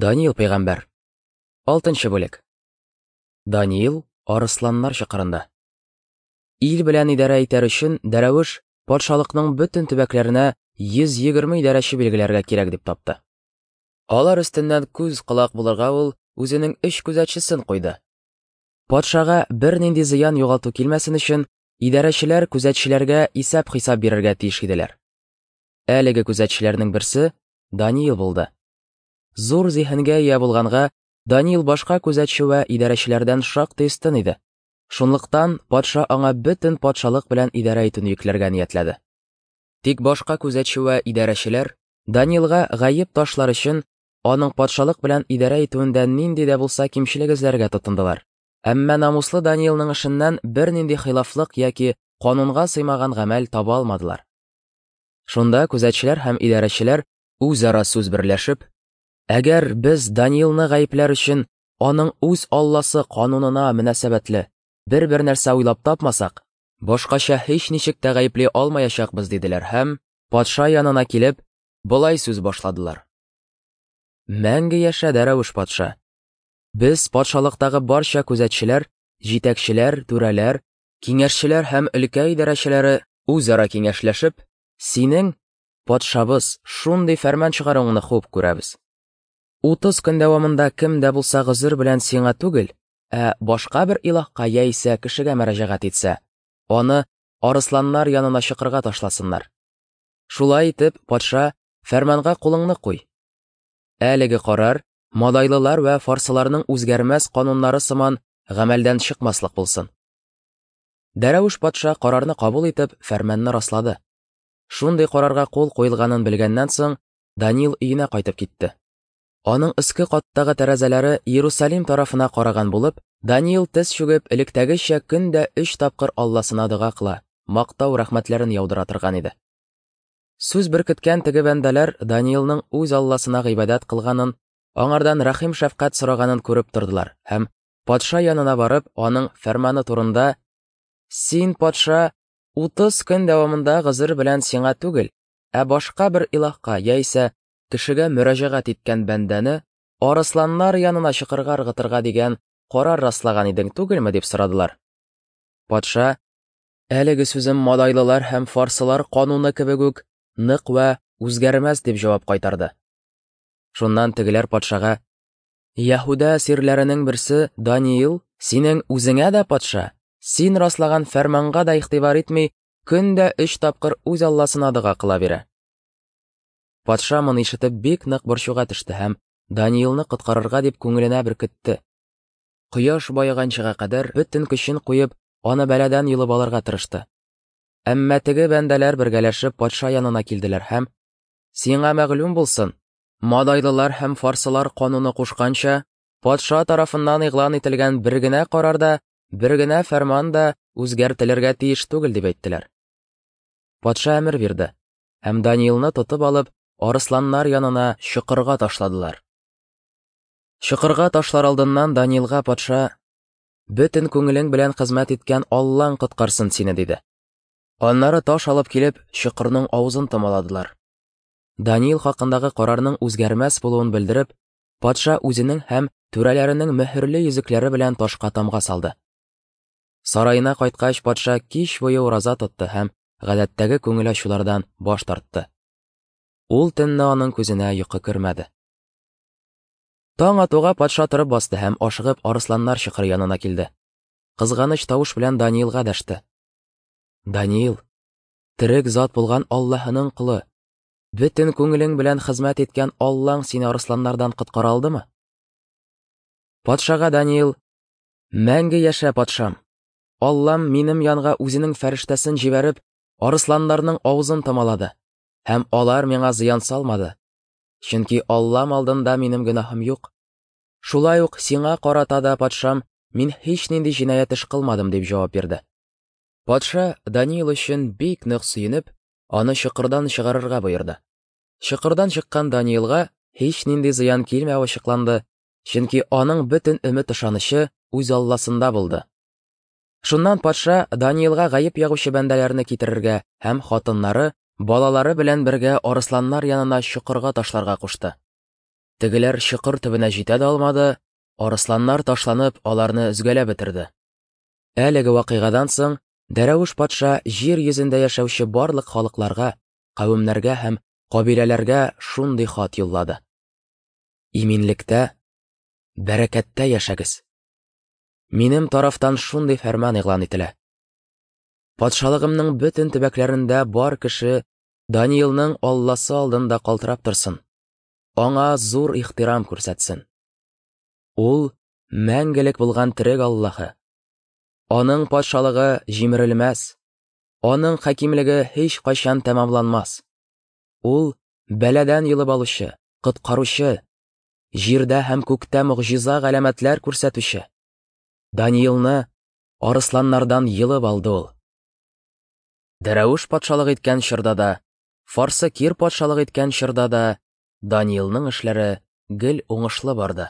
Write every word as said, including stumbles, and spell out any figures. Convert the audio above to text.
Даниил пәйгамбәр. Алтынчы бүлек. Даниил арысланнар чокырында. Ил белән идарә итәр өчен Дәрәвеш патшалыкның бөтен төбәкләренә йөз егерме идарәче билгеләргә кирәк дип тапты. Алар өстеннән күз колак булырга ул үзенең өч күзәтчесен куйды. Патшага бернинди зыян югалту килмәсен өчен идарәчеләр күзәтчеләргә исәп-хисап бирергә тиеш иделәр. Әлеге күзәтчеләрнең берсе Даниил булды. Зур зиһенгә ия булганга, Даниил башка күзәтче вә идарәчеләрдән шактый өстен иде. Шунлыктан патша аңа бөтен патшалык белән идарә итүне йөкләргә ниятләде. Тик башка күзәтче вә идарәчеләр Даниилга гаеп ташлар өчен аның патшалык белән идарә итүендә нинди дә булса кимчелек эзләргә тотындылар. Әмма намуслы Даниилның эшеннән бернинди хилафлык яки канунга сыймаган гамәл таба алмадылар. Шунда күзәтчеләр һәм идарәчеләр үзара сүз берләшеп, әгәр без Даниилны гаепләр өчен аның үз Алласы канунына мөнәсәбәтле бер-бер нәрсә уйлап тапмасак, башкача һич ничек тә гаепли алмаячакбыз, диделәр һәм патша янына килеп, болай сүз башладылар. Мәңге яшә, Дәрәвеш патша! Без патшалыктагы барча күзәтчеләр, җитәкчеләр, түрәләр, киңәшчеләр һәм өлкә идарәчеләре үзара киңәшләшеп, синең, патшабыз, шундый фәрман чыгаруыңны хуп күрәбез. Утыз көн дәвамында кем дә булса гозер белән сиңа түгел, ә башка бер илаһка яисә кешегә мөрәҗәгать итсә, аны арысланнар янына чокырга ташласыннар. Шулай итеп, патша, фәрманга кулыңны куй. Әлеге карар мадайлылар вә фарсыларның үзгәрмәс кануннары сыман гамәлдән чыкмаслык булсын. Дәрәвеш патша карарны кабул итеп, фәрманны раслады. Шундый карарга кул куелганын белгәннән соң, Даниил өенә кайтып китте. Аның өске каттагы тәрәзәләре Иерусалим тарафына караган булып, Даниил тез чүгеп, электәгечә көн дә өч тапкыр Алласына дога кыла, мактау рәхмәтләрен яудыра торган иде. Сүз беркеткән теге бәндәләр Даниилның үз Алласына гыйбадәт кылганын, аңардан рәхим шәфкать сораганын күреп тордылар һәм патша янына барып, аның фәрманы турында: "Син, патша, утыз көн дәвамында гозер белән сиңа түгел, ә башка бер илаһка яисә кешегә мөрәҗәгать иткән бәндәне арысланнар янына чокырга ыргытырга дигән карар раслаган идең түгелме?" дип сорадылар. Патша: "Әлеге сүзем мадайлылар һәм фарсылар кануны кебек үк нык вә үзгәрмәс", дип җавап кайтарды. Шуннан тегеләр патшага: "Яһүдә әсирләренең берсе Даниил синең үзеңә дә, патша, син раслаган фәрманга да игътибар итми, көн дә өч тапкыр үз Алласына дога кыла бирә". Патша моны ишетеп бик нык борчуга төште һәм Даниилны коткарырга дип күңеленә беркетте. Кояш баеганчыга кадәр бөтен көчен куеп, аны бәладән йолып алырга тырышты. Әмма теге бәндәләр бергәләшеп патша янына килделәр һәм: "Сиңа мәгълүм булсын, мадайлылар һәм фарсылар кануны кушканча, патша тарафыннан игълан ителгән бер генә карар да, бер генә фәрман да үзгәртелергә тиеш түгел", дип әйттеләр. Патша әмер бирде һәм Даниилны тотып алып, арысланнар янына чокырга ташладылар. Чокырга ташлар алдыннан Даниилга патша: "Бөтен күңелең белән хезмәт иткән Аллаң коткарсын сине", диде. Аннары таш алып килеп, чокырның авызын томаладылар. Даниил хакындагы карарның үзгәрмәс булуын белдереп, патша үзенең һәм түрәләренең мөһерле йөзекләре белән ташка тамга салды. Сараена кайткач, патша кич буе ураза тотты һәм гадәттәге күңел ачулардан баш тартты. Ул төнне аның күзенә йокы кермәде. Таң атуга патша торып басты һәм ашыгып арысланнар чокыры янына килде. Кызганыч тавыш белән Даниилга дәште: "Даниил, терек зат булган Аллаһының колы, бөтен күңелең белән хезмәт иткән Аллаң сине арысланнардан коткара алдымы?" Патшага Даниил: "Мәңге яшә, патшам! Аллам минем янга үзенең фәрештәсен җибәреп, арысланнарның авызын томалады, һәм алар миңа зыян салмады, чөнки Аллам алдында минем гөнаһым юк. Шулай ук сиңа карата да, патшам, мин һич нинди җинаять эш кылмадым", дип җавап бирде. Патша Даниил өчен бик нык сөенеп, аны чокырдан чыгарырга боерды. Чокырдан чыккан Даниилга һич нинди зыян килмәве ачыкланды, чөнки аның бөтен өмет ышанычы үз Алласында булды. Шуннан патша Даниилга гаеп ягучы бәндәләрне китерергә һәм хатыннары, балалары белән бергә арысланнар янына чокырга ташларга кушты. Тегеләр чокыр төбенә җитә дә алмады, арысланнар ташланып, аларны өзгәләп бетерде. Әлеге вакыйгадан соң Дәрәвеш патша җир йөзендә яшәүче барлык халыкларга, кавемнәргә һәм кабиләләргә шундый хат юллады: Иминлектә, бәрәкәттә яшәгез. Минем тарафтан шундый фәрман игълан ителә. Патшалыгымның бөтен төбәкләрендә бар кеше Даниилның Алласы алдында калтырап торсын, аңа зур ихтирам күрсәтсен. Ул мәңгелек булган терек Аллаһы. Аның патшалыгы җимерелмәс, аның хакимлеге һич кайчан тәмамланмас. Ул бәладән йолып алучы, коткаручы, җирдә һәм күктә могҗиза галәмәтләр күрсәтүче. Даниилны арысланнардан йолып алды ул. Дәрәвеш патшалык иткән чорда да, Фарсы Кир патшалык иткән чорда да Даниилның эшләре гел уңышлы барды.